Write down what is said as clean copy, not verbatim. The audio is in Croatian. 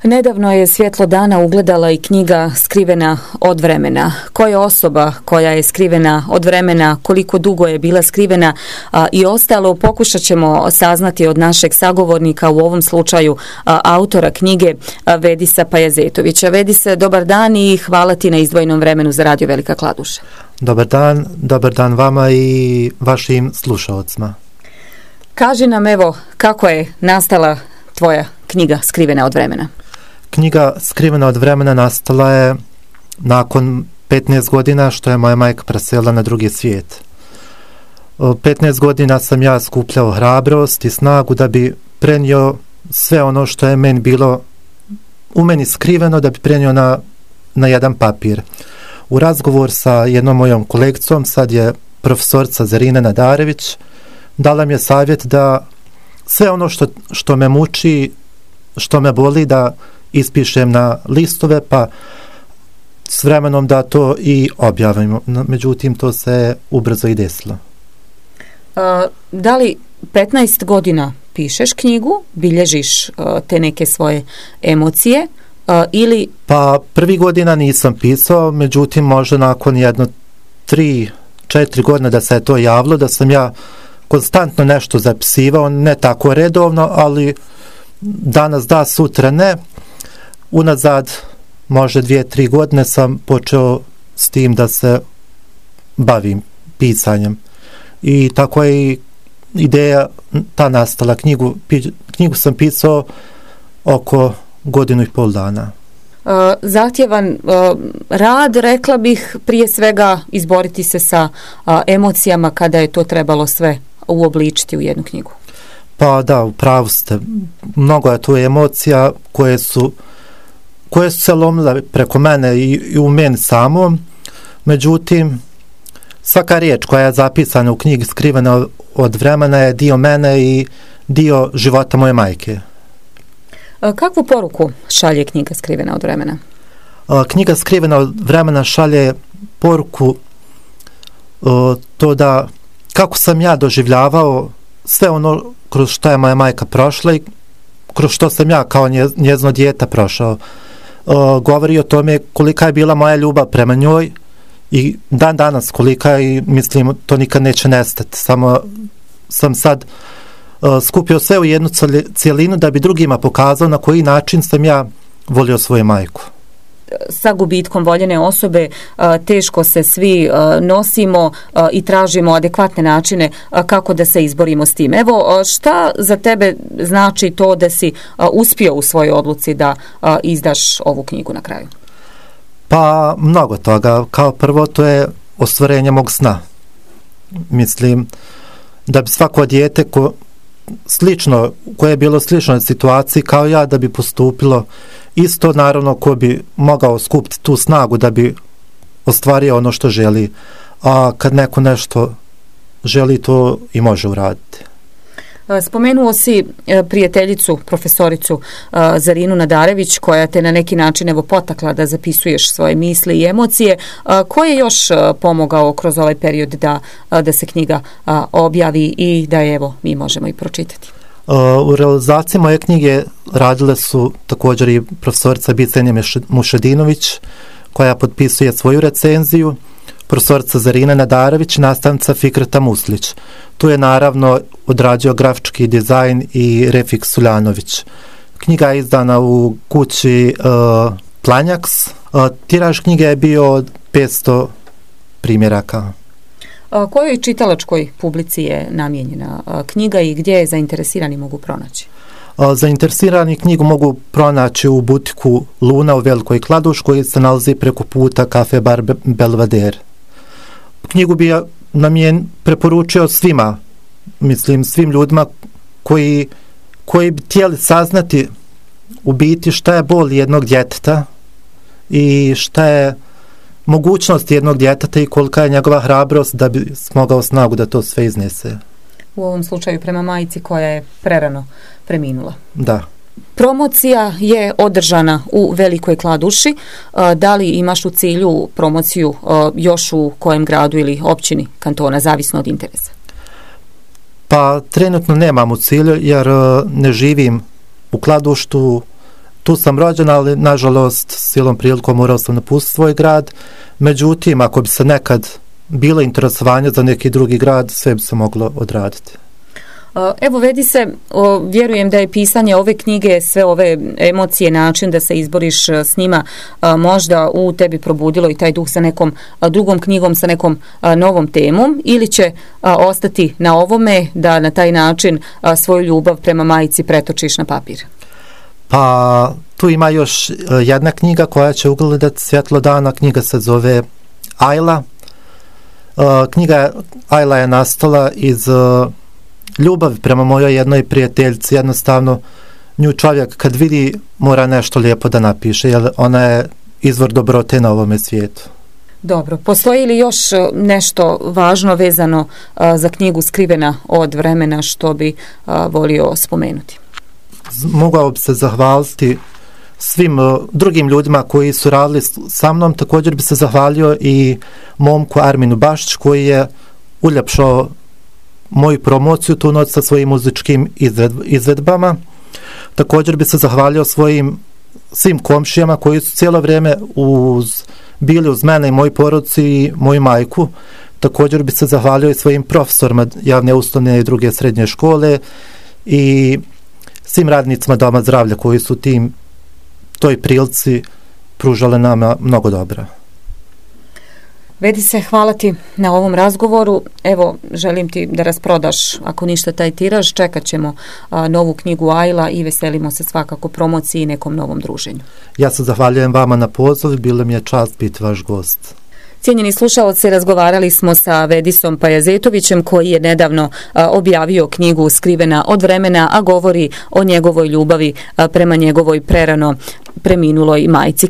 Nedavno je svjetlo dana ugledala i knjiga Skrivena od vremena. Ko je osoba koja je skrivena od vremena, koliko dugo je bila skrivena i ostalo pokušat ćemo saznati od našeg sagovornika, u ovom slučaju autora knjige Vedisa Pajazetovića. Vedise, dobar dan i hvala ti na izdvojenom vremenu za Radio Velika Kladuša. Dobar dan vama i vašim slušalcima. Kaži nam evo kako je nastala tvoja knjiga Skrivena od vremena. Knjiga Skrivena od vremena nastala je nakon 15 godina što je moja majka preselila na drugi svijet. 15 godina sam ja skupljao hrabrost i snagu da bi prenio sve ono što je meni bilo u meni skriveno, da bi prenio na jedan papir. U razgovor sa jednom mojom kolegicom, sad je profesorica Zarina Nadarević, dala mi je savjet da sve ono što me muči, što me boli, da ispišem na listove, pa s vremenom da to i objavimo. Međutim, to se ubrzo i desilo. Da li 15 godina pišeš knjigu, bilježiš te neke svoje emocije ili... Pa prvi godina nisam pisao, međutim možda nakon 3-4 godine da se je to javilo, da sam ja konstantno nešto zapisivao, ne tako redovno, ali danas da, sutra ne. Unazad možda 2-3 godine sam počeo s tim da se bavim pisanjem. I tako je ideja ta nastala. Knjigu sam pisao oko 1,5 dana. Zahtjevan rad, rekla bih, prije svega izboriti se sa emocijama kada je to trebalo sve uobličiti u jednu knjigu. Pa da, u pravu ste. Mnogo je tu emocija koje su se lomile preko mene i u meni samom. Međutim, svaka riječ koja je zapisana u knjigi Skrivena od vremena je dio mene i dio života moje majke. Kakvu poruku šalje knjiga Skrivena od vremena? Knjiga Skrivena od vremena šalje poruku to da kako sam ja doživljavao sve ono kroz što je moja majka prošla i kroz što sam ja kao njezino dijete prošao. Govori o tome kolika je bila moja ljubav prema njoj i dan danas kolika, i mislim to nikad neće nestati. Samo sam sad skupio sve u jednu cijelinu da bi drugima pokazao na koji način sam ja volio svoju majku. Sa gubitkom voljene osobe teško se svi nosimo i tražimo adekvatne načine kako da se izborimo s tim. Evo, šta za tebe znači to da si uspio u svojoj odluci da izdaš ovu knjigu na kraju? Pa mnogo toga. Kao prvo, to je ostvarenje mog sna. Mislim da bi svako dijete koje je bilo sličnoj situaciji kao ja, da bi postupilo isto, naravno ko bi mogao skupiti tu snagu da bi ostvario ono što želi, a kad neko nešto želi, to i može uraditi. Spomenuo si prijateljicu, profesoricu Zarinu Nadarević, koja te na neki način evo potakla da zapisuješ svoje misli i emocije. Ko je još pomogao kroz ovaj period da se knjiga objavi i da evo mi možemo i pročitati? U realizaciji moje knjige radile su također i profesorica Bicenja Mušedinović, koja potpisuje svoju recenziju, profesorica Zarina Nadarević, nastavnica Fikreta Muslić. Tu je naravno odradio grafički dizajn i Refik Suljanović. Knjiga je izdana u kući Planjaks. Tiraž knjige je bio 500 primjeraka. Kojoj čitalačkoj publici je namijenjena knjiga i gdje je zainteresirani mogu pronaći? Zainteresirani knjigu mogu pronaći u butiku Luna u Velikoj Kladuši, koji se nalazi preko puta Kafe Bar Belvedere. Knjigu bi ja preporučio svima, mislim svim ljudima koji bi htjeli saznati u biti šta je bol jednog djeteta i šta je mogućnost jednog djeteta i kolika je njegova hrabrost da bi smogao snagu da to sve iznese. U ovom slučaju prema majci koja je prerano preminula. Da. Promocija je održana u Velikoj Kladuši. Da li imaš u cilju promociju još u kojem gradu ili općini kantona, zavisno od interesa? Pa trenutno nemam u cilju jer ne živim u Kladuštu. tu sam rođen, ali nažalost silom prilikom morao sam napustiti svoj grad. Međutim, ako bi se nekad bilo interesovanje za neki drugi grad, sve bi se moglo odraditi. Evo, vedi se, vjerujem da je pisanje ove knjige, sve ove emocije, način da se izboriš s njima, možda u tebi probudilo i taj duh sa nekom drugom knjigom, sa nekom novom temom, ili će ostati na ovome da na taj način svoju ljubav prema majci pretočiš na papir? Pa tu ima još jedna knjiga koja će ugledati svjetlo dana. Knjiga se zove Ajla. Ajla je nastala iz ljubavi prema mojoj jednoj prijateljici. Jednostavno, nju čovjek kad vidi mora nešto lijepo da napiše, jer ona je izvor dobrote na ovome svijetu. Dobro, postoji li još nešto važno vezano za knjigu Skrivena od vremena što bi volio spomenuti? Mogao bi se zahvaliti svim drugim ljudima koji su radili sa mnom. Također bi se zahvalio i momku Arminu Bašić koji je uljepšao moju promociju tu noć sa svojim muzičkim izvedbama. Također bi se zahvalio svim komšijama koji su cijelo vrijeme bili uz mene i moju porodicu i moju majku. Također bi se zahvalio i svojim profesorima javne osnovne i druge srednje škole i svim radnicima Doma zdravlja koji su toj prilici pružali nama mnogo dobra. Vedi se, hvala ti na ovom razgovoru. Evo, želim ti da rasprodaš, ako ništa, taj tiraž. Čekat ćemo novu knjigu Ajla i veselimo se svakako promociji i nekom novom druženju. Ja se zahvaljujem vama na poziv, bilo mi je čast biti vaš gost. Cijenjeni slušaoci, razgovarali smo sa Vedisom Pajazetovićem koji je nedavno objavio knjigu Skrivena od vremena, a govori o njegovoj ljubavi prema njegovoj prerano preminuloj majci.